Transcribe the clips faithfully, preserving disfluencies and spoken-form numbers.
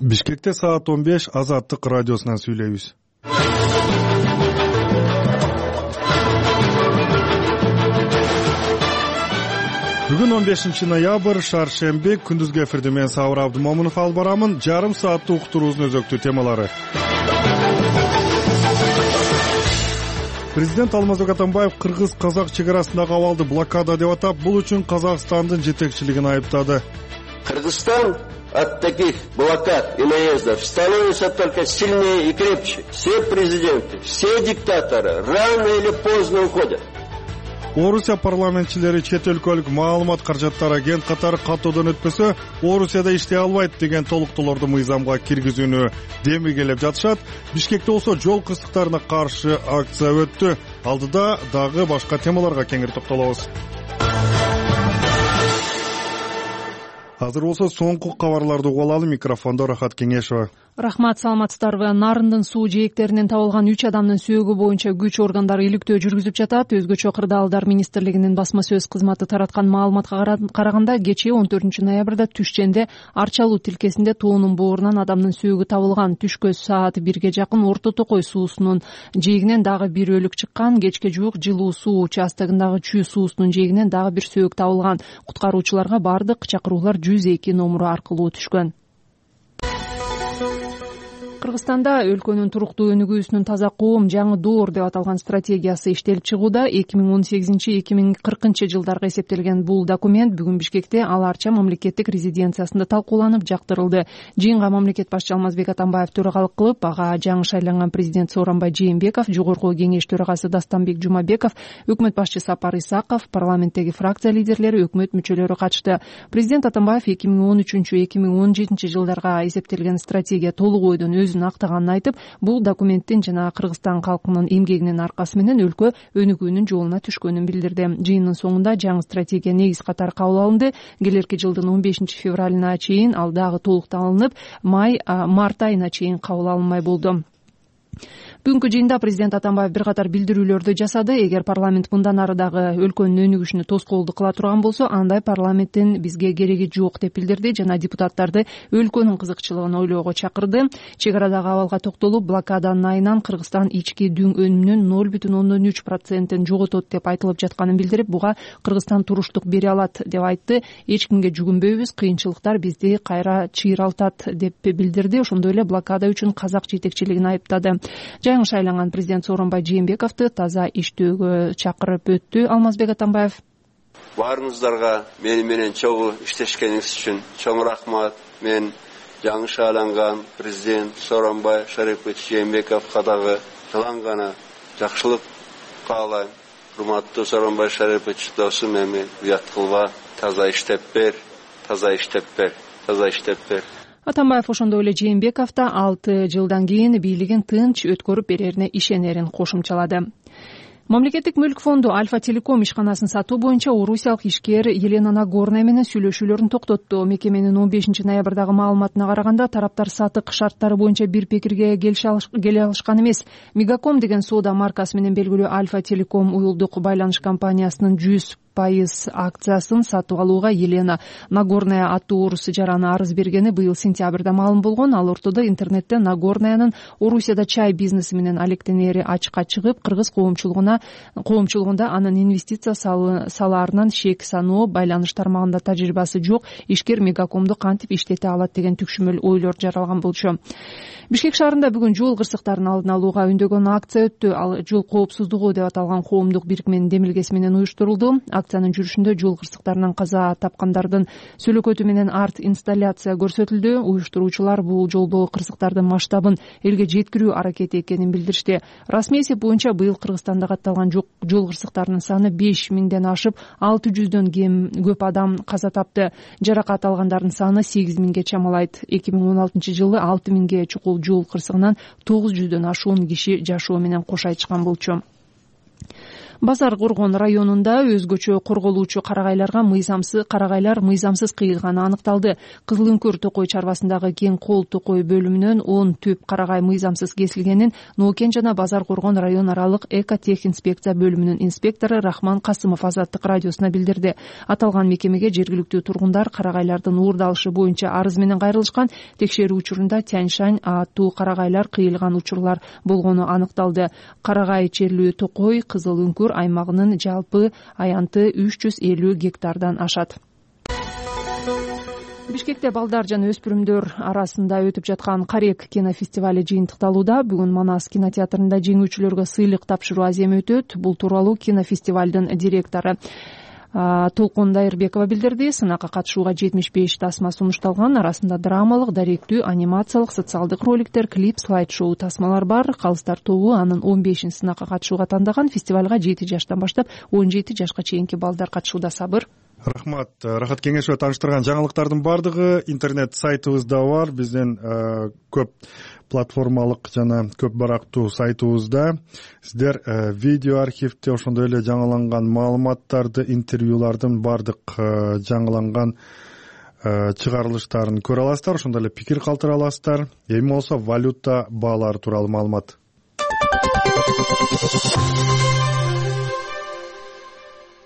Бишкекте саат он беш Азаттык радиосунан сүйлөйбүз. Бүгүн он бешинчи ноябрь, шаршемби, күндүзгү эфирде мен Сабыр Абдымомунов алып барамын. Жарым сааттык уктуруубуздун өзөктүү темалары. Президент Алмазбек Атамбаев кыргыз-казак чек арасындагы абалды блокада деп атап, бул үчүн Казакстандын жетекчилигин айыптады. Кыргызстан от таких блокад и наездов становится только сильнее и крепче. Все президенты, все диктаторы рано или поздно уходят. Орусия парламентчилери чет өлкөлүк маалымат каражаттар агент катары каттоодон өтпөсө, Орусияда иштей албайт деген толуктоолорду мыйзамга киргизүүнү демилгелеп жатышат. Бишкекте болсо жол кырсыктарына каршы акция өттү. Алдыда дагы башка темаларга кеңири токтолобуз. Азыр болсо соңку кабарларды угуп алалы. Микрофондо Рахат Кеңешова. Рахмат, саламатсыздарбы? Нарындын суу жээктеринен табылган үч адамдын сөөгү боюнча күч органдары иликтөө жүргүзүп жатат. Өзгөчө Кырдаалдар министрлигинин басма сөз кызматы тараткан маалыматка караганда, кечээ он төртүнчү ноябрда Түшченде Арчалуу тилкесинде тоонун боорунан адамдын сөөгү табылган. Түшкө саат бирге жакын Орто Токой суусунун жээгинен дагы бир өлүк чыккан. Кечке жуук Жылуу суу участогундагы Чүй суусунун жээгинен дагы бир сөөк табылган. Куткаруучуларга бардык чакыруулар жүз эки номуру аркылуу түшкөн. Кыргызстанда өлкөнүн туруктуу өнүгүүсүнүн таза коом жаңы доор деп аталган стратегиясы иштелип чыгууда. эки миң он сегизинчи — эки миң кыркынчы жылдарга эсептелген бул документ бүгүн Бишкекте Ал Арча мамлекеттик резиденциясында талкууланып жактырылды. Жыйынга мамлекет башчы Алмазбек Атамбаев төрагалык кылып, ага жаңы шайланган президент Сооронбай Жээнбеков, жогорку кеңеш төрагасы Дастанбек Жумабеков, өкмөт башчы Сапар Исаков, парламенттеги фракция лидерлери, өкмөт мүчөлөрү катышты. Президент Атамбаев эки миң он үчүнчү — эки миң он жетинчи жылдарга эсептелген стратегия толук ойдон өзүн актаганын айтып, бул документтин жана Кыргызстан калкынын эмгегинин аркасы менен өлкө өнүгүүнүн жолуна түшкөнүн билдирди. Жыйындын соңунда жаңы стратегия негиз катары кабыл алынды. Келерки жылдын он бешинчи февралына чейин ал дагы толукталынып, май март айына чейин кабыл алынмай болду. Бүгүнкү жыйында президент Атамбаев бир катар билдирүүлөрдү жасады. Эгер парламент мындан ары дагы өлкөнүн өнүгүшүнө тоскоолдук кыла турган болсо, андай парламенттин бизге кереги жок деп билдирди жана депутаттарды өлкөнүн кызыкчылыгын ойлоого чакырды. Чек арадагы абалга токтолуп, блокаданын айынан Кыргызстан ички дүң өнүмүнүн ноль бүтүн ондон үч процентин жоготот деп айтылып жатканын билдирип, буга Кыргызстан туруштук бере алат деп айтты. Эч кимге жүгүнбөйбүз, кыйынчылыктар бизди кайра чыйралтат деп билдирди. Ошондой эле блокада үчүн казак жетекчилигин айыптады. Жаңы шайланган президент Сооронбай Жээнбековду таза иштөөгө чакырып өттү Алмазбек Атамбаев. Баарыңыздарга мени менен чогуу иштешкениңиз үчүн чоң рахмат. Мен жаңы шайланган президент Сооронбай Шарипович Жээнбековго дагы жылан гана жакшылык каалайм. Урматтуу Сооронбай Шарипович, досум, эми уят кылба, таза иштеп бер, таза иштеп бер, таза иштеп бер. Атамбаев ошондой эле Жээнбеков да алты жылдан кийин бийлигин тынч өткөрүп берерине ишенерин кошумчалады. Мамлекеттик мүлк фонду Альфа Телеком ишканасын сатуу боюнча орусиялык ишкер Елена Нагорная менен сүйлөшүүлөрүн токтотту. Мекеменин он бешинчи ноябрдагы маалыматына караганда, тараптар сатык шарттары боюнча бир пикирге келе алышкан эмес. Мегаком деген соода маркасы менен белгилүү Альфа Телеком уюлдук байланыш компаниясынын жүз пайыз акциясын сатып алууга Елена Нагорная аттуу орус жараны арыз бергени быйыл сентябрда маалым болгон. Ал ортодо интернетте Нагорнаянын Орусияда чай бизнеси менен алектенери ачыкка чыгып, кыргыз коомчулугуна коомчулугунда анын инвестиция салаарынан шек саноо, байланыш тармагында тажрыйбасы жок ишкер Мегакомду кантип иштете алат деген түкшүмөл ойлор жаралган болчу. Бишкек шаарында бүгүн жол кырсыктарын алдын алууга үндөгөн акция өттү. Ал жол коопсуздугу деп аталган коомдук бирикменин демилгеси менен уюштурулду. Акциянын жүрүшүндө жол кырсыктарынан каза тапкандардын сүлөкөтү менен арт инсталляция көрсөтүлдү. Уюштуруучулар бул жолдогу кырсыктардын масштабын элге жеткирүү аракети экенин билдиришти. Расмий эсеп боюнча быйыл Кыргызстанда катталган жол кырсыктарынын саны беш миңден ашып, алты жүздөн кем көп адам каза тапты. Жаракат алгандардын саны сегиз миңге чамалайт. эки миң он алтынчы жылы алты миңге чукул жол кырсыгынан тогуз жүздөн ашуун киши жашоо менен кош айтышкан болчу. Базар Коргон районунда өзгөчө корголуучу карагайларга мыйзамсыз карагайлар мыйзамсыз кыйылганы аныкталды. Кызыл Үңкүр токой чарбасындагы Кең Кол токой бөлүмүнөн он түп карагай мыйзамсыз кесилгенин Нокен жана Базар Коргон район аралык экотехинспекция бөлүмүнүн инспектору Рахман Касымов Азаттык радиосуна билдирди. Аталган мекемеге жергиликтүү тургундар карагайлардын уурдалышы боюнча арыз менен кайрылышкан. Текшерүү учурунда Тяньшань аттуу карагайлар кыйылган учурлар болгону аныкталды. Карагай черлүү токой Кызыл Үңкүр аймагынын жалпы аянты үч жүз элүү гектардан ашат. Бишкекте балдар жана өспүрүмдөр арасында өтүп жаткан Карек кинофестивали жыйынтыкталууда. Бүгүн Манас кинотеатрында жеңүүчүлөргө сыйлык тапшыруу аземи өтөт. Бул тууралуу кинофестивалдын директору Толкун Дайырбекова билдирди. Сынакка катышууга жетимиш беш тасма сунушталган. Арасында драмалык, даректүү, анимациялык, социалдык роликтер, клип, слайд-шоу тасмалар бар. Калыстар тобу анын он бешин сынакка катышууга тандаган. Фестивалга жети жаштан баштап он жети жашка чейинки балдар катышууда. Сабыр. Рахмат. Рахат кеңешова тааныштырган жаңылыктардын баардыгы интернет сайтыбызда бар. Биздин көп платформалык жана көп барактуу сайтыбызда сиздер видео архивде ошондой эле жаңыланган маалыматтарды, интервьюлардын баардык жаңыланган чыгарылыштарын көрө аласыздар. Ошондой эле пикир калтыра аласыздар. Эми болсо валюта баалары тууралуу маалымат.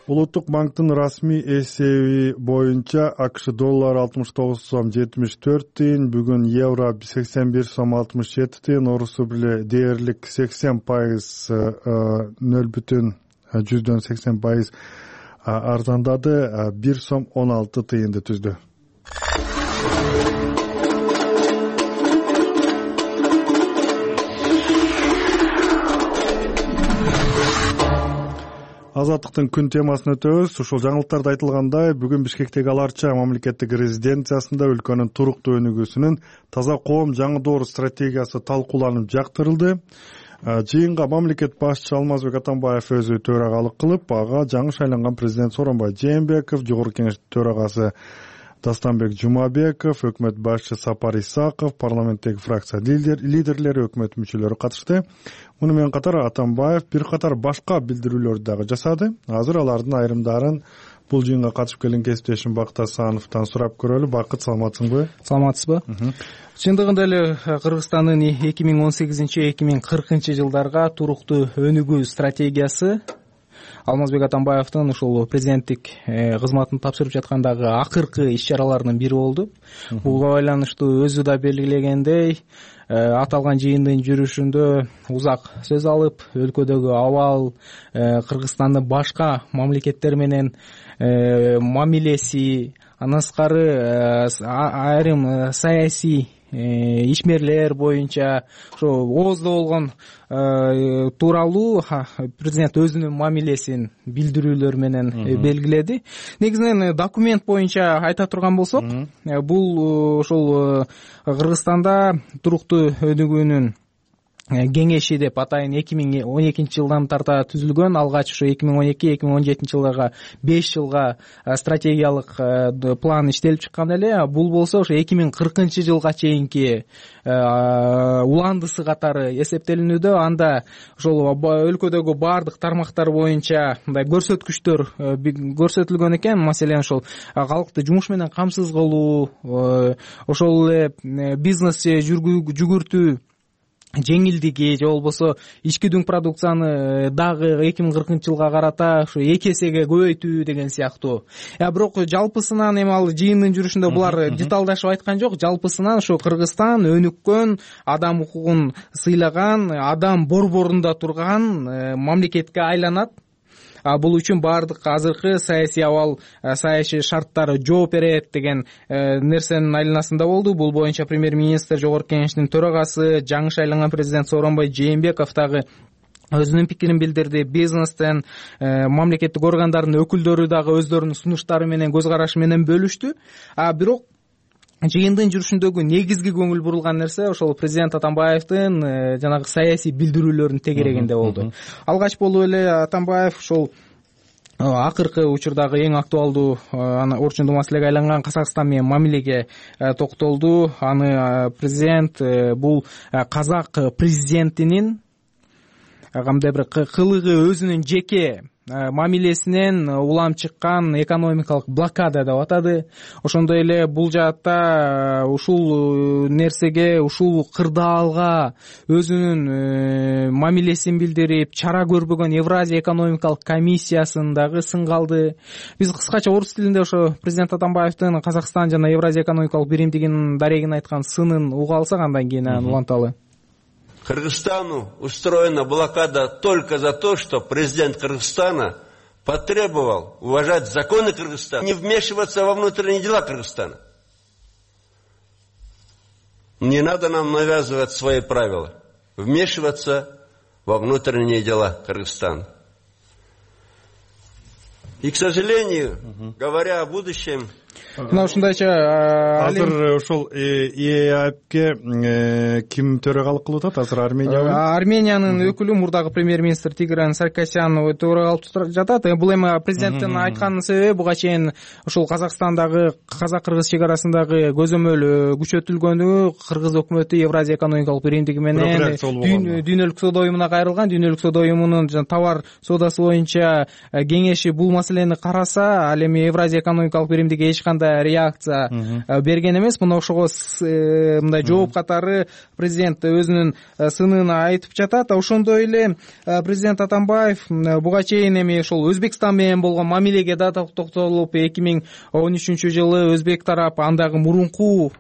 Улуттук банктын расмий эсеби боюнча АКШ доллары алтымыш тогуз сом жетимиш төрт тыйын, бүгүн евро сексен бир сом алтымыш жети тыйын, орус рубли дээрлик сексен пайыз нөл бүтүн жүздөн сексен пайыз арзандады, бир сом он алты тыйынды түздү. Азаттыктын күн темасын өтөбүз. Ушул жаңылыктарда айтылгандай, бүгүн Бишкектеги Ала Арча мамлекеттик резиденциясында өлкөнүн туруктуу өнүгүүсүнүн таза коом жаңы доор стратегиясы талкууланып жактырылды. Жыйынга мамлекет башчысы Алмазбек Атамбаев өзү төрагалык кылып, ага жаңы шайланган президент Сооронбай Жээнбеков, Жогорку Кеңештин төрагасы Дастанбек Жумабеков, өкмөт башчысы Сапар Исаков, парламенттеги фракция лидерлери, өкмөт мүчөлөрү катышты. Муну менен катар Атамбаев бир катар башка билдирүүлөрдү дагы жасады. Азыр алардын айрымдарын бул жыйынга катышып келген кесиптешим Бакыт Асановдон сурап көрөлү. Бакыт, саламатсыңбы? Саламатсызбы? Чындыгында эле Кыргызстандын эки миң он сегизинчи эки миң кыркынчы жылдарга туруктуу өнүгүү стратегиясы Алмазбек Атамбаевдин ушул президенттик кызматын тапшырып жаткандагы акыркы иш-чараларынын бири болду. Буга байланыштуу өзү да белгилегендей, аталган жыйындын жүрүшүндө узак сөз алып, өлкөдөгү абал, Кыргызстандын башка мамлекеттер менен мамилеси, андан сырткары айрым саясий ишмерлер боюнча ошо ооздо болгон тууралуу президент өзүнүн мамилесин билдирүүлөр менен белгиледи. Негизинен документ боюнча айта турган болсок, бул ошол Кыргызстанда туруктуу өнүгүүнүн кеңеши деп атайын эки миң он экинчи жылдан тарта түзүлгөн. Алгач ошо эки миң он эки эки миң он жетинчи жылдарга беш жылга стратегиялык план иштелип чыккан эле. Бул болсо ошо эки миң кыркынчы жылга чейинки уландысы катары эсептелинүүдө. Анда ошол өлкөдөгү баардык тармактар боюнча мындай көрсөткүчтөр көрсөтүлгөн экен. Маселен, ошол калкты жумуш менен камсыз кылуу, ошол эле бизнес жүгүртүү жеңилдиги же болбосо ички дүң продукцияны дагы эки миң кыркынчы жылга карата ушу эки эсеге көбөйтүү деген сыяктуу. Я бирок жалпысынан эми ал жыйындын жүрүшүндө булар деталдашып айткан жок. Жалпысынан ушу Кыргызстан өнүккөн, адам укугун сыйлаган, адам борборунда турган мамлекетке айланат. Бул үчүн баардык азыркы саясий абал, саясий шарттары жооп берет деген нерсенин айланасында болду. Бул боюнча премьер-министр, Жогорку Кеңештин төрагасы, жаңы шайланган президент Сооронбай Жээнбеков дагы өзүнүн пикирин билдирди. Бизнестен, мамлекеттик органдардын өкүлдөрү дагы өздөрүнүн сунуштары менен, көз карашы менен бөлүштү. А бирок жыйындын жүрүшүндөгү негизги көңүл бурулган нерсе ошол президент Атамбаевдин жанагы саясий билдирүүлөрүнүн тегерегинде болду. Алгач болуп эле Атамбаев ошол акыркы учурдагы эң актуалдуу орчундуу маселеге айланган Казакстан менен мамилеге токтолду. Аны президент бул казак президентинин кандай бир кылыгы өзүнүн жеке мамилесинен улам чыккан экономикалык блокада деп атады. Ошондой эле бул жаатта ушул нерсеге, ушул кырдаалга өзүнүн мамилесин билдирип чара көрбөгөн Евразия экономикалык комиссиясын дагы сынга алды. Биз кыскача орус тилинде ошо президент Атамбаевдин Казакстан жана Евразия экономикалык биримдигинин дарегин айткан сынын уга алсак, андан кийин анан уланталы. Кыргызстану устроена блокада только за то, что президент Кыргызстана потребовал уважать законы Кыргызстана, не вмешиваться во внутренние дела Кыргызстана. Не надо нам навязывать свои правила, вмешиваться во внутренние дела Кыргызстана. И, к сожалению, говоря о будущем, мына ушундайча азыр ошол ЕАЭПке ким төрагалык кылып атат? Азыр Армения Армениянын өкүлү, мурдагы премьер-министр Тигран Саркисян төрагалык жатат. Бул эми президенттин айткан себеби буга чейин ушул Казакстандагы, казак-кыргыз чек арасындагы көзөмөл күчөтүлгөнү, кыргыз өкмөтү Евразия экономикалык биримдиги менен дүйнөлүк соода уюмуна кайрылган. Дүйнөлүк соода уюмунун товар соодасы боюнча кеңеши бул маселени караса, ал эми Евразия экономикалык биримдиги эч кандай реакция берген эмес. Мына ошого мындай жооп катары президент өзүнүн сынын айтып жатат. Ошондой эле президент Атамбаев буга чейин эми ошол Өзбекстан менен болгон мамилеге да токтолуп, эки миң он үчүнчү жылы Өзбек тарап, андагы мурунку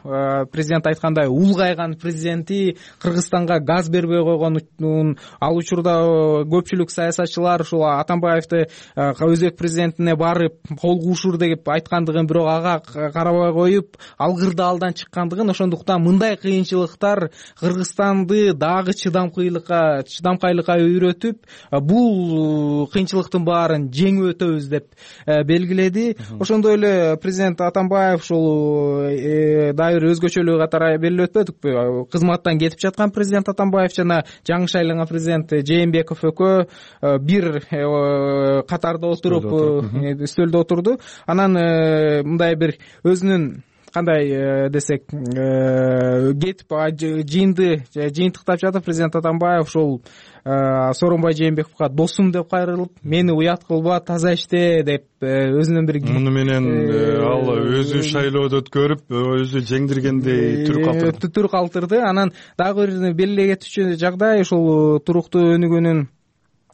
президент айткандай улгайган президенти Кыргызстанга газ бербей койгонун, ал учурда көпчүлүк саясатчылар ушул Атамбаевди Өзбек президентине барып кол куушур деп айткандыгын, бирок ага карабай коюп алгырдаалдан чыккандыгын, ошондуктан мындай кыйынчылыктар Кыргызстанды дагы чыдамкайлыкка чыдамкайлыкка үйрөтүп, бул кыйынчылыктын баарын жеңип өтөбүз деп белгиледи. Ошондой эле президент Атамбаев ушул дагы бир өзгөчөлүгү катары белгилеп өтпөдүкпү? Кызматтан кетип жаткан президент Атамбаев жана жаңы шайланган президент Жээнбеков экөө бир катарда отуруп үстөлдө отурду. Анан мындай бир өзүнүн кандай десек кетип жыйынды жыйынтыктап жатып, президент Атамбаев ошол Сооронбай Жээнбековго досум деп кайрылып, мени уят кылба, таза иште деп өзүнүн бир муну менен ал өзү шайлоодо өткөрүп, өзү жеңдиргендей түр калтырды. Түр калтырды. Анан дагы бир белгилей кетчү жагдай, ушул туруктуу өнүгүүнүн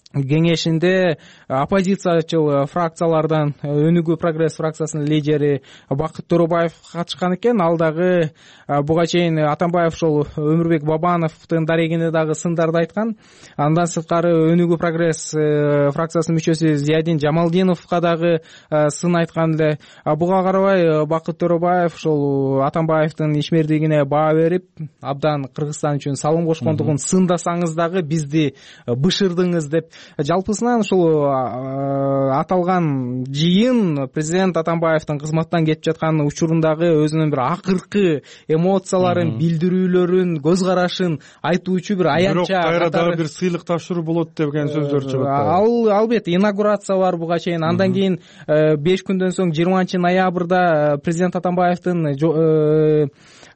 кеңешинде оппозициячыл фракциялардан Өнүгүү прогресс фракциясынын лидери Бакыт Торобаев катышкан экен. Ал дагы буга чейин Атамбаев ошол Өмүрбек Бабановдун дарегине дагы сындарды айткан. Андан сырткары Өнүгүү прогресс фракциясынын мүчөсү Зиядин Жамалдиновго дагы сын айткан эле. Буга карабай Бакыт Торобаев ошол Атамбаевдин ишмердигине баа берип, абдан Кыргызстан үчүн салым кошкондугун, сындасаңыз дагы бизди бышырдыңыз деп. Жалпысынан ушул аталган жыйын президент Атамбаевдин кызматтан кетип жаткан учурундагы өзүнүн бир акыркы эмоцияларын, билдирүүлөрүн, көз карашын айтуучу бир аянтча. Бирок кайра дагы бир сыйлык тапшыруу болот деген сөздөр чыгып атат. Ал албетте инаугурация бар буга чейин. Андан кийин беш күндөн соң жыйырманчы ноябрда президент Атамбаевдин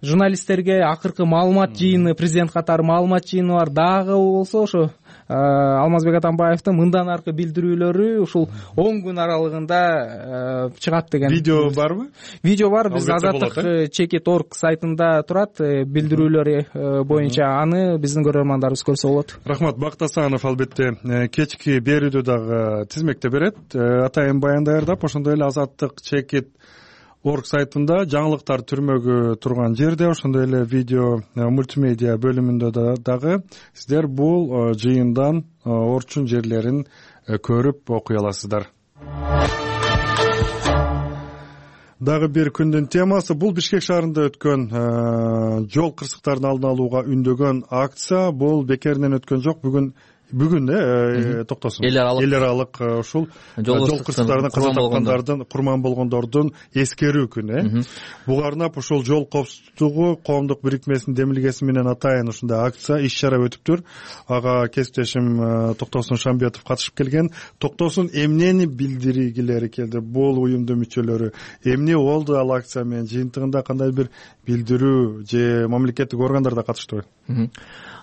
журналисттерге акыркы маалымат жыйыны, президент катары маалымат жыйыны бар. Дагы болсо ошо Алмазбек Атамбаевдин мындан аркы билдирүүлөрү ушул он күн аралыгында чыгат деген. Видео барбы? Видео бар. Биз Азаттык чекит точка орг сайтында турат билдирүүлөр боюнча. Аны биздин көрөрмандарыбыз көрсө болот. Рахмат. Бакыт Асанов албетте кечки берүүдө дагы тизмекте берет. Атайын баян даярдап, ошондой эле Азаттык чекит точка орг сайтында жаңылыктар түрмөгү турган жерде, ошондой эле видео мультимедиа бөлүмүндө дагы сиздер бул жыйындан орчун жерлерин көрүп окуй аласыздар. Дагы бир күндүн темасы бул Бишкек шаарында өткөн жол кырсыктарын алдын алууга үндөгөн акция. Бул бекеринен өткөн жок. Бүгүн Бүгүн э токтосун. Эл аралык ушул жол кырсыктарынан каза тапкандардын, курман болгондордун эскерүү күнү. Буга арнап ушул жол коопсуздугу коомдук бирикмесинин демилгеси менен атайын ушундай акция, иш-чара өтүптүр. Ага кесиптешим Токтосун Шамбетов катышып келген. Токтосун эмнени билдиргилери келди бул уюмдун мүчөлөрү? Эмне болду ал акция менен? Жыйынтыгында кандай бир билдирүү же мамлекеттик органдар да катыштыбы?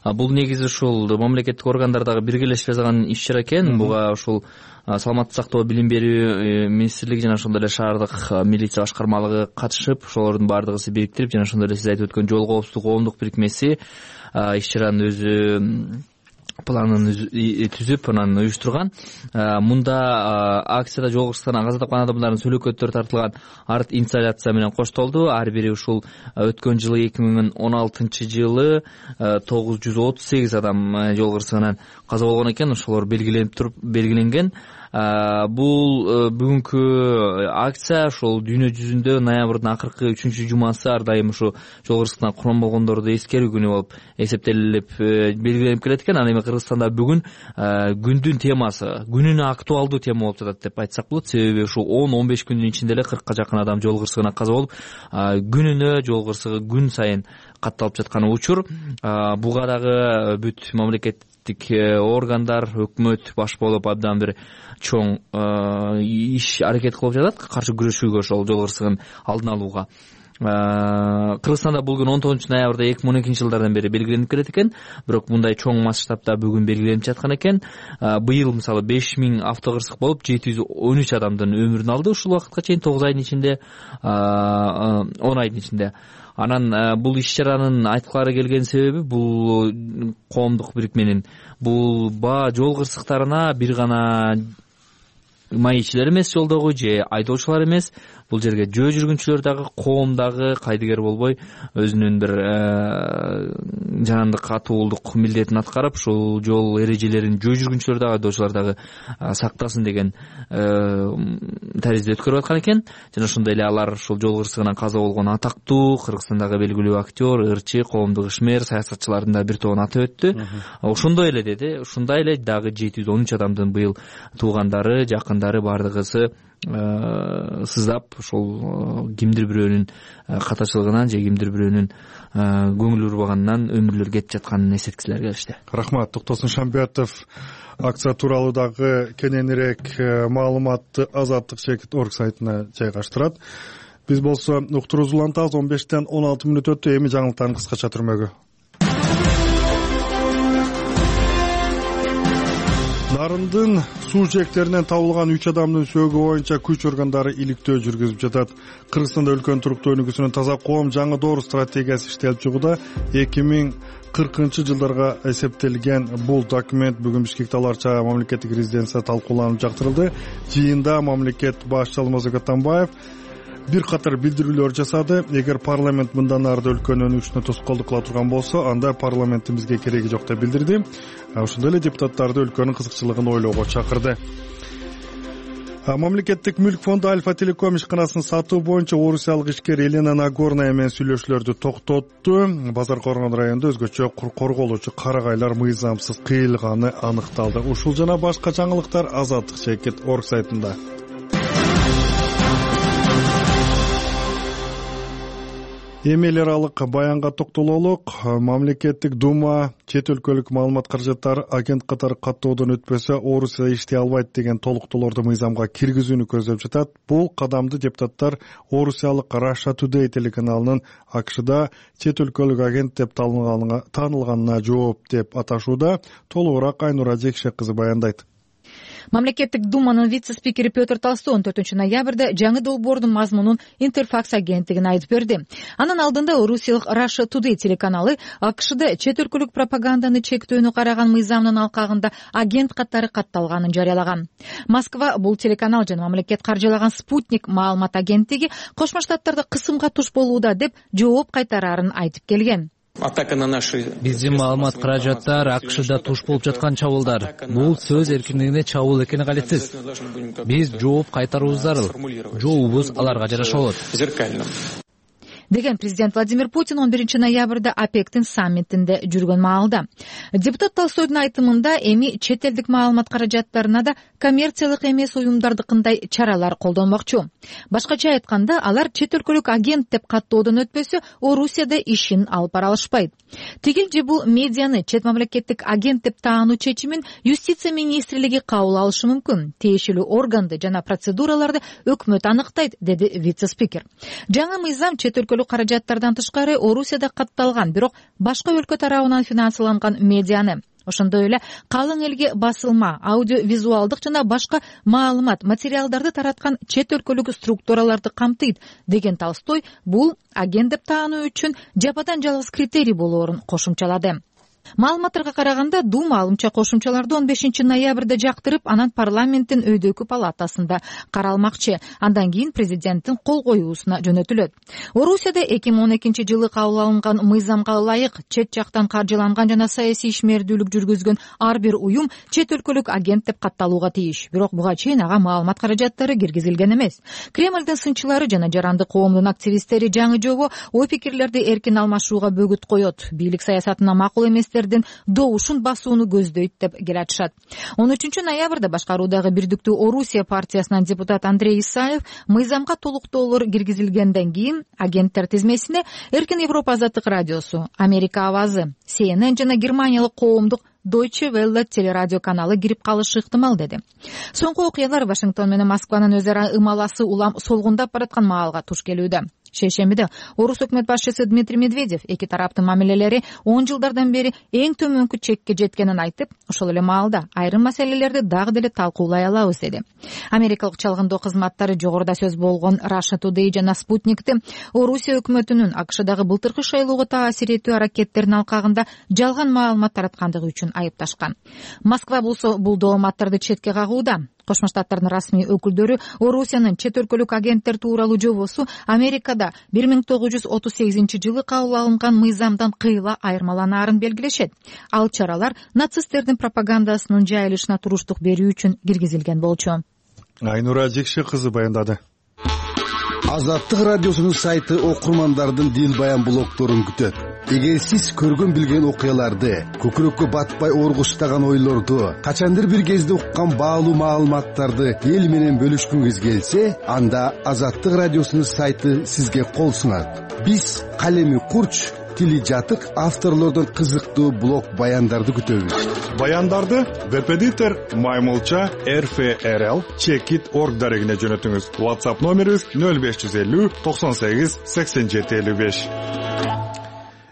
Бул негизи ушул мамлекеттик органдар дагы дагы биргелешип жасаган иш чара экен. Буга ушул саламаттык сактоо, билим берүү министрлиги жана ошондой эле шаардык милиция башкармалыгы катышып, ошолордун баардыгысы бириктирип жана ошондой эле сиз айтып өткөн жол коопсуздук коомдук бирикмеси иш чаранын өзү планын түзүп анан уюштурган. Мында акцияда жол кырсыктарынан каза тапкан адамдардын сүйлөкөттөрү тартылган арт инсталляция менен коштолду. Ар бири ушул өткөн жылы эки миң он алтынчы жылы тогуз жүз отуз сегиз адам жол кырсыгынан каза болгон экен. Ошолор белгиленип туруп белгиленген. Бул бүгүнкү акция ошол дүйнө жүзүндө ноябрдын акыркы үчүнчү жумасы ар дайым ушу жол кырсыктан курман болгондорду эскерүү күнү болуп эсептелип белгиленип келет экен. Ал эми Кыргызстанда бүгүн күндүн темасы, күнүнө актуалдуу тема болуп жатат деп айтсак болот. Себеби ушу он он беш күндүн ичинде эле кыркка жакын адам жол кырсыгынан каза болуп, күнүнө жол кырсыгы күн сайын катталып жаткан учур. Буга дагы бүт мамлекет органдар, өкмөт баш болуп абдан бир чоң иш аракет кылып жатат каршы күрөшүүгө, ошол жол кырсыгын алдын алууга. Кыргызстанда бул күн он тогузунчу ноябрда эки миң он экинчи жылдардан бери белгиленип келет экен, бирок мындай чоң масштабта бүгүн белгиленип жаткан экен. Быйыл мисалы беш миң автокырсык болуп, жети жүз он үч адамдын өмүрүн алды ушул убакытка чейин, тогуз айдын ичинде, он айдын ичинде. Анан бул иш чаранын айткылары келген себеби бул коомдук бирикменин бул баа жол кырсыктарына бир гана маекчилер эмес жолдогу же айдоочулар эмес, бул жерге жөө жүргүнчүлөр дагы, коом дагы кайдыгер болбой өзүнүн бир жанандык катуулдук милдетин аткарып, ушул жол эрежелерин жөө жүргүнчүлөр дагы, айдоочулар дагы сактасын деген таризде өткөрүп аткан экен. Жана ошондой эле алар ушул жол кырсыгынан каза болгон атактуу Кыргызстандагы белгилүү актер, ырчы, коомдук ишмер, саясатчылардын да бир тобун атап өттү. Ошондой эле деди, ушундай эле дагы жети жүз он үч адамдын быйыл туугандары, жакындары бардыгысы сыздап ошол кимдир бирөөнүн катачылыгынан же кимдир бирөөнүн көңүл урбаганынан өмүрлөр кетип жатканын эсеткилер келишти. Рахмат. Токтосун Шамбиятов акция тууралуу дагы кененирээк маалыматты Азаттык чекит орг сайтына жайгаштырат. Биз болсо уктуруубузду улантабыз. он бештен он алты мүнөт өттү. Эми жаңылыктардын кыскача түрмөгү. Нарындын суу жээктеринен табылган үч адамдын сөөгү боюнча күч органдары иликтөө жүргүзүп жатат. Кыргызстанда өлкөнүн туруктуу өнүгүүсүнүн таза коом жаңы доор стратегиясы иштелип чыгууда. эки миң кыркынчы жылдарга эсептелген бул документ бүгүн Бишкекте аларча мамлекеттик резиденцияда талкууланып жактырылды. Жыйында мамлекет башчысы Алмазбек Атамбаев бир катар билдирүүлөр жасады. Эгер парламент мындан ары өлкөнүн өнүгүшүнө тоскоолдук кыла турган болсо, анда парламенттин бизге кереги жок деп билдирди. Ошондой эле депутаттарды өлкөнүн кызыкчылыгын ойлоого чакырды. Мамлекеттик мүлк фонду Альфа Телеком ишканасын сатуу боюнча орусиялык ишкер Елена Нагорная менен сүйлөшүүлөрдү токтотту. Базар Коргон районунда өзгөчө корголоочу карагайлар мыйзамсыз кыйылганы аныкталды. Ушул жана башка жаңылыктар Азаттык чекит орг сайтында. Эми эл аралык баянга токтололук. Мамлекеттик дума чет өлкөлүк маалымат каражаттары агент катары каттоодон өтпөсө Орусияда иштей албайт деген толуктоолорду мыйзамга киргизүүнү көздөп жатат. Бул кадамды депутаттар Орусиялык Russia Today телеканалынын АКШда чет өлкөлүк агент деп таанылганына жооп деп аташууда. Толугураак Айнура Жекше кызы баяндайт. Мамлекеттик думанын вице-спикери Петр Толстой он төртүнчү ноябрда жаңы долбоордун мазмунун Интерфакс агенттигине айтып берди. Анын алдында Орусиялык Russia Today телеканалы АКШда чет өлкөлүк пропаганданы чектөөнү караган мыйзамдын алкагында агент катары катталганын жарыялаган. Москва бул телеканал жана мамлекет каржылаган Спутник маалымат агенттиги Кошмо Штаттарда кысымга туш болууда деп жооп кайтарарын айтып келген. Биздин маалымат каражаттар АКШда туш болуп жаткан чабуулдар. Бул сөз эркиндигине чабуул экени калетсиз. Биз жооп кайтарууубуз зарыл. Жообубуз аларга жараша болот. Деген президент Владимир Путин он биринчи ноябрда ОПЕКтин саммитинде жүргөн маалда. Депутат Толстойдун айтымында эми чет элдик маалымат каражаттарына да коммерциялык эмес уюмдардыкындай чаралар колдонмокчу. Башкача айтканда, алар чет өлкөлүк агент деп каттоодон өтпөсө Орусияда ишин алып бара алышпайт. Тигил же бул медианы чет мамлекеттик агент деп таануу чечимин юстиция министрлиги кабыл алышы мүмкүн. Тиешелүү органды жана процедураларды өкмөт аныктайт, деди вице-спикер. Жаңы мыйзам чет өлкөлүк каражаттардан тышкары Орусияда катталган, бирок башка өлкө тарабынан финансыланган медианы, ошондой эле калың элге басылма, аудио визуалдык жана башка маалымат материалдарды тараткан чет өлкөлүк структураларды камтыйт деген Толстой бул агент деп таануу үчүн жападан жалгыз критерий болоорун кошумчалады. Маалыматтарга караганда Дума алымча кошумчаларды он бешинчи ноябрда жактырып, анан парламенттин өйдөкү палатасында каралмакчы. Андан кийин президенттин кол коюусуна жөнөтүлөт. Орусияда эки миң он экинчи жылы кабыл алынган мыйзамга ылайык чет жактан каржыланган жана саясий ишмердүүлүк жүргүзгөн ар бир уюм чет өлкөлүк агент деп катталууга тийиш. Бирок буга чейин ага маалымат каражаттары киргизилген эмес. Кремлдин сынчылары жана жарандык коомдун активисттери жаңы жобо ой пикирлерди эркин алмашууга бөгүт коет. Бийлик саясатына макул эмес добушун басууну көздөйт деп келатышат. он үчүнчү ноябрда башкаруудагы Бирдиктүү Орусия партиясынан депутат Андрей Исаев мыйзамга толуктоолор киргизилгенден кийин агенттер тизмесине Эркин Европа азаттык радиосу, Америка авазы, Си Эн Эн жана германиялык коомдук Deutsche Welle телерадио каналы кирип калышы ыктымал деди. Соңку окуялар Вашингтон менен Москванын өз ара ымаласы улам солгундап бараткан маалга туш келүүдө. Шейшембиде Орус өкмөт башчысы Дмитрий Медведев эки тараптын мамилелери он жылдардан бери эң төмөнкү чекке жеткенин айтып, ошол эле маалда айрым маселелерди дагы деле талкуулай алабыз деди. Америкалык чалгындоо кызматтары жогоруда сөз болгон Russia Today жана Спутникти Орусия өкмөтүнүн АКШдагы былтыркы шайлоого таасир этүү аракеттеринин алкагында жалган маалымат тараткандыгы үчүн айыпташкан. Москва болсо бул дооматтарды четке кагууда. Кошмо Штаттардын расмий өкүлдөрү Орусиянын чет өлкөлүк агенттер тууралуу жобосу Америкада бир миң тогуз жүз отуз сегизинчи жылы кабыл алынган мыйзамдан кыйла айырмаланаарын белгилешет. Ал чаралар нацисттердин пропагандасынын жайылышына туруштук берүү үчүн киргизилген болчу. Айнура Жекше кызы баяндады. Азаттык радиосунун сайты окурмандардын дил баян блогдорун күтөт. Эгер сиз көргөн билген окуяларды, көкүрөккө батпай оргуштаган ойлорду, качандыр бир кезде уккан баалуу маалыматтарды эл менен бөлүшкүңүз келсе, анда Азаттык радиосунун сайты сизге кол сунат. Биз калеми курч, тили жатык авторлордон кызыктуу блог баяндарды күтөбүз. Баяндарды Веб-эдитор Маймылча эр эф эр эл чекит точка орг дарегине жөнөтүңүз. WhatsApp номерибиз нөл беш жүз элүү токсон сегиз сексен жети элүү беш.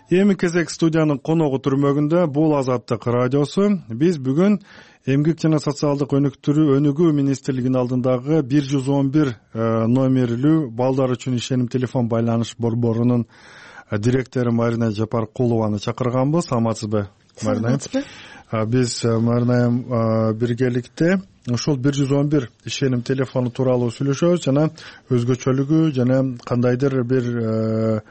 Эми кезек студиянын коногу түрмөгүндө бул Азаттык радиосу. Биз бүгүн Эмгек жана социалдык өнүктүрүү өнүгүү министрлигинин алдындагы бир жүз он бир номерлүү балдар үчүн ишеним телефон байланыш борборунун директору Марина Жапаркулованы чакырганбыз. Саламатсызбы, Марина? Биз Марина биргеликте ошол бир жүз он бир ишеним телефону тууралуу сүйлөшөбүз жана өзгөчөлүгү жана кандайдыр бир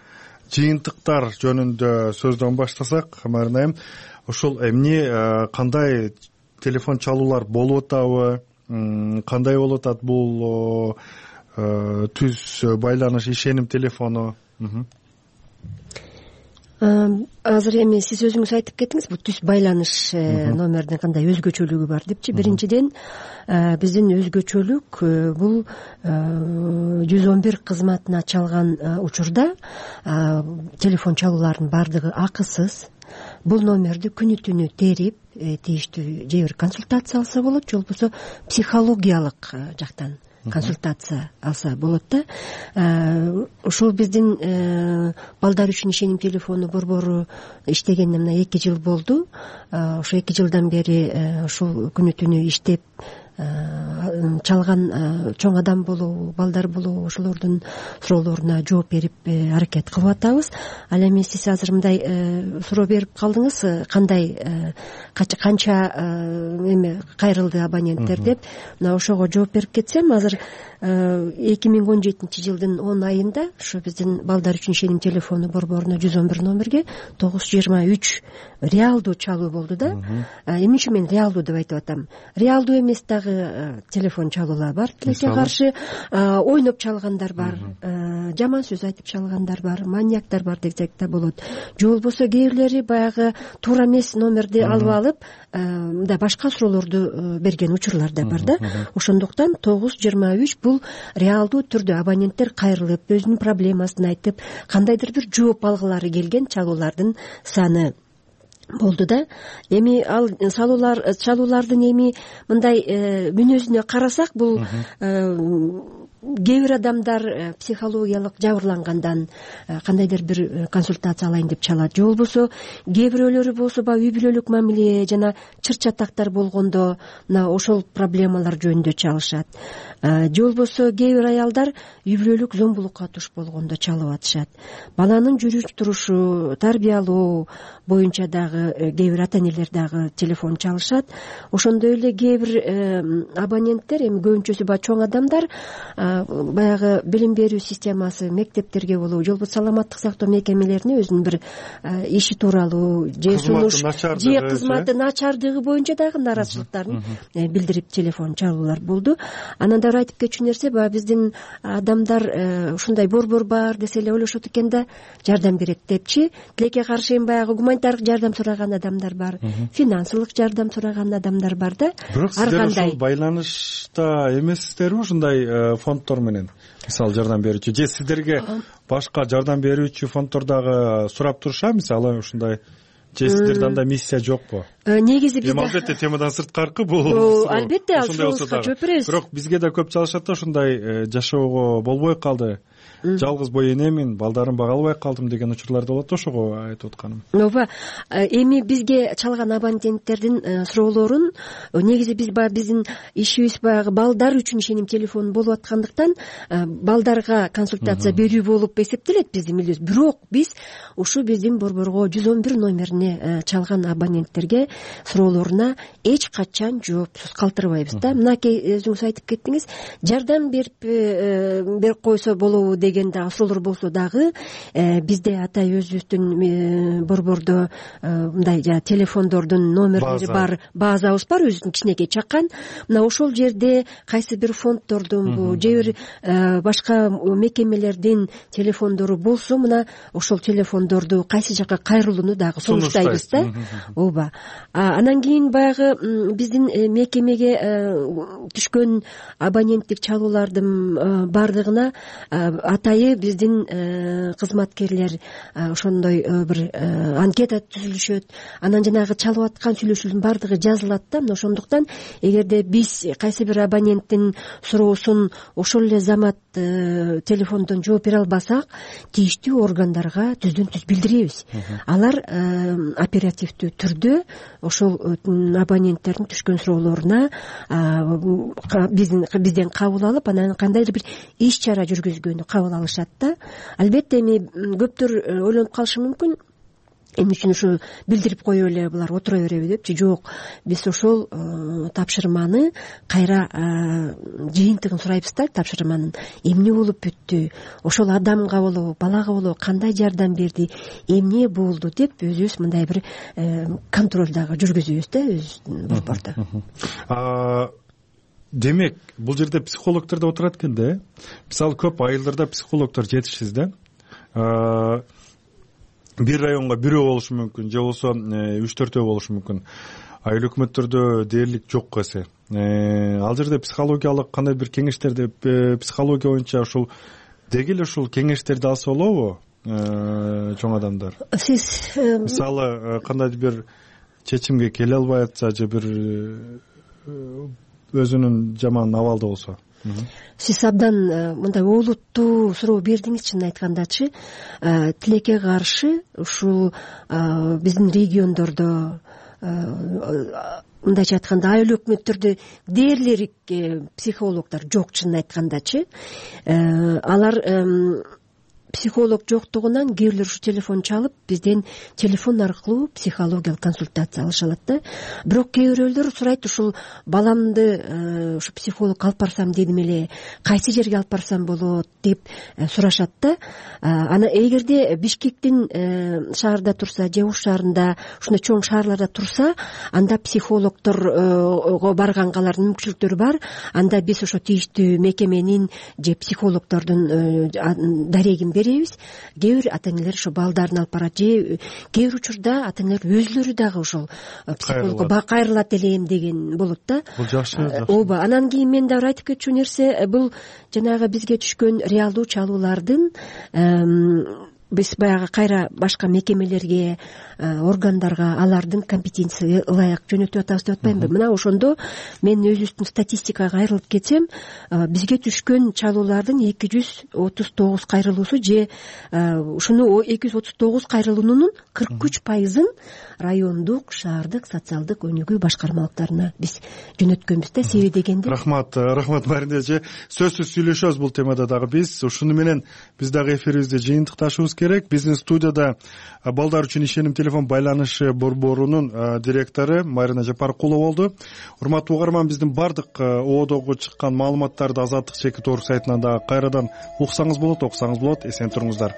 жыйынтыктар жөнүндө сөздөн баштасак, Марина, ошол эмне кандай телефон чалуулар болуп атабы, кандай болуп атат бул түз байланыш ишеним телефону? Азыр эми сиз өзүңүз айтып кеттиңиз, бул түз байланыш номердин кандай өзгөчөлүгү бар депчи. Биринчиден, биздин өзгөчөлүк бул жүз он бир кызматына чалган учурда телефон чалуулардын баардыгы акысыз. Бул номерди күнү түнү терип, тийиштүү же бир консультация алса болот, же болбосо психологиялык жактан консультация алса болот да. Ошол биздин балдар үчүн ишеним телефону борбору иштегенине мына эки жыл болду. Ошо эки жылдан бери ушул күнү түнү иштеп чалган чоң адам болобу, балдар болобу, ошолордун суроолоруна жооп берип аракет кылып атабыз. Ал эми сиз азыр мындай суроо берип калдыңыз, кандай канча эме кайрылды абоненттер деп. Мына ошого жооп берип кетсем, азыр эки миң он жетинчи жылдын он айында ошо биздин балдар үчүн ишеним телефону борборуна жүз он бир номерге тогуз жүз жыйырма үч реалдуу чалуу болду да. Эмне үчүн мен реалдуу деп айтып атам? Реалдуу эмес дагы телефон чалуулар бар, тилекке каршы ойноп чалгандар бар, жаман сөз айтып чалгандар бар, маньяктар бар десек да болот. Же болбосо кээ бирлери баягы туура эмес номерди алып алып, мындай башка суроолорду берген учурлар да бар да. Ошондуктан тогуз жүз жыйырма үч бул реалдуу түрдө абоненттер кайрылып, өзүнүн проблемасын айтып, кандайдыр бир жооп алгылары келген чалуулардын саны болду да. Эми ал салуулар чалуулардын эми мындай мүнөзүнө карасак, бул кээ бир адамдар психологиялык жабырлангандан кандайдыр бир консультация алайын деп чалат, же болбосо кээ бирөөлөрү болсо баягы үй бүлөлүк мамиле жана чыр чатактар болгондо мына ошол проблемалар жөнүндө чалышат, же болбосо кээ бир аялдар үй бүлөлүк зомбулукка туш болгондо чалып атышат. Баланын жүрүш турушу, тарбиялоо боюнча дагы кээ бир ата энелер дагы телефон чалышат. Ошондой эле кээ бир абоненттер, эми көбүнчөсү баягы чоң адамдар баягы билим берүү системасы, мектептерге болобу, же болбосо саламаттык сактоо мекемелерине өзүнүн бир иши тууралуу же сунуш же кызматы начардыгы боюнча дагы нааразычылыктарын билдирип телефон чалуулар болду. Анан дагы айтып кетчү нерсе, баягы биздин адамдар ушундай борбор бар десе эле ойлошот экен да, жардам берет депчи. Тилекке каршы эми баягы гуманитардык жардам сураган адамдар бар, финансылык жардам сураган адамдар бар да. Бирок сиздер ошол байланышта эмессиздерби ушундай фонддор менен, мисалы жардам берүүчү, же сиздерге башка жардам берүүчү фонддор дагы сурап турушат, мисалы ушундай, же сиздерде андай миссия жокпу? Негизи бизде эми албетте темадан сырткаркы бул, албетте ошондойга жооп беребиз. Бирок бизге да көп чалышат да, ушундай жашоого болбой калды, жалгыз бой энемин, балдарым бага албай калдым деген учурлар да болот, ошого айтып атканым. Ооба, эми бизге чалган абоненттердин суроолорун негизи биз баягы биздин ишибиз баягы балдар үчүн ишеним телефону болуп аткандыктан балдарга консультация берүү болуп эсептелет биздин милдетибиз. Бирок биз ушу биздин борборго жүз он бир номерине чалган абоненттерге суроолоруна эч качан жоопсуз калтырбайбыз да. Мынакей өзүңүз айтып кеттиңиз, жардам берип берип койсо болобу деген дагы суроолор болсо дагы бизде атай өзүбүздүн борбордо мындай телефондордун номерлери бар, базабыз бар, өзүбүздүн кичинекей чакан. Мына ошол жерде кайсы бир фонддордунбу же бир башка мекемелердин телефондору болсо, мына ошол телефондорду кайсы жака кайрылууну дагы сунуштайбыз да. Ооба. Анан кийин баягы биздин мекемеге түшкөн абоненттик чалуулардын бардыгына атайы биздин кызматкерлер ошондой бир анкета түзүлүшөт. Анан жанагы чалып аткан сүйлөшүүлөрдүн бардыгы жазылат да. Мына ошондуктан эгерде биз кайсы бир абоненттин суроосун ошол эле замат телефондон жооп бере албасак, тийиштүү органдарга түздөн түз билдиребиз. Алар оперативдүү түрдө ошол абоненттердин түшкөн суроолоруна бизден кабыл алып, анан кандайдыр бир иш чара жүргүзгөнү кабыл алышат да. Албетте эми көптөр ойлонуп калышы мүмкүн, эмне үчүн ушу билдирип коюп эле булар отура береби депчи. Жок, биз ошол тапшырманы кайра жыйынтыгын сурайбыз да. Тапшырманын эмне болуп бүттү, ошол адамга болобу, балага болобу кандай жардам берди, эмне болду деп өзүбүз мындай бир контроль дагы жүргүзөбүз да өзүбүздүн борбордо. Демек, бул жерде психологдор да отурат экен да. Мисалы көп айылдарда психологдор жетишсиз да. Бир районго бирөө болушу мүмкүн, же болбосо үч төртөө болушу мүмкүн. Айыл өкмөттөрдө дээрлик жок эсе. Ал жерде психологиялык кандай бир кеңештерди, психология боюнча ушул деги эле ушул кеңештерди алса болобу чоң адамдар? Сиз мисалы кандайдыр бир чечимге келе албай атса, же бир өзүнүн жаман абалда болсо. Сиз абдан мындай олуттуу суроо бердиңиз, чынын айткандачы. Тилекке каршы ушул биздин региондордо, мындайча айтканда, айыл өкмөттөрдө дээрлик психологдор жок, чынын айткандачы. Алар психолог жоктугунан кээ бирлер ушу телефон чалып, бизден телефон аркылуу психологиялык консультация алыша алат да. Бирок кээ бирөөлөр сурайт, ушул баламды ушу психолог алып барсам дедим эле, кайсы жерге алып барсам болот деп сурашат да. Ана эгерде Бишкектин шаарда турса, же Ош шаарында, ушундай чоң шаарларда турса, анда психологдорго барганга алардын мүмкүнчүлүктөрү бар. Анда биз ошо тийиштүү мекеменин же психологдордун дарегин беребиз. Кээ бир ата энелер ошо балдарын алып барат, же кээ бир учурда ата энелер өзүлөрү дагы ошол психологко кайрылат элем деген болот да. Бул жакшы. Ооба. Анан кийин мен дагы айтып кетчү нерсе, бул жанагы бизге түшкөн реалдуу чалуулардын биз баягы кайра башка мекемелерге, органдарга алардын компетенциясы ылайык жөнөтүп атабыз деп атпаймынбы? Мына ошондо мен өзүбүздүн статистикага кайрылып кетсем, бизге түшкөн чалуулардын эки жүз отуз тогуз кайрылуусу же ушуну эки жүз отуз тогуз кайрылуунун кырк үч пайызын райондук, шаардык социалдык өнүгүү башкармалыктарына биз жөнөткөнбүз да. Себеби дегенде рахмат рахмат Марина эже, сөзсүз сүйлөшөбүз бул темада дагы. Биз ушуну менен биз дагы эфирибизди жыйынтыкташыбыз керек. Биздин студияда балдар үчүн ишеним телефон байланышы борборунун директору Марина Жапаркулова болду. Урматтуу угарман, биздин бардык оодогу чыккан маалыматтарды Азаттык чекит орг сайтынан дагы кайрадан уксаңыз болот, окусаңыз болот. Эсен туруңуздар.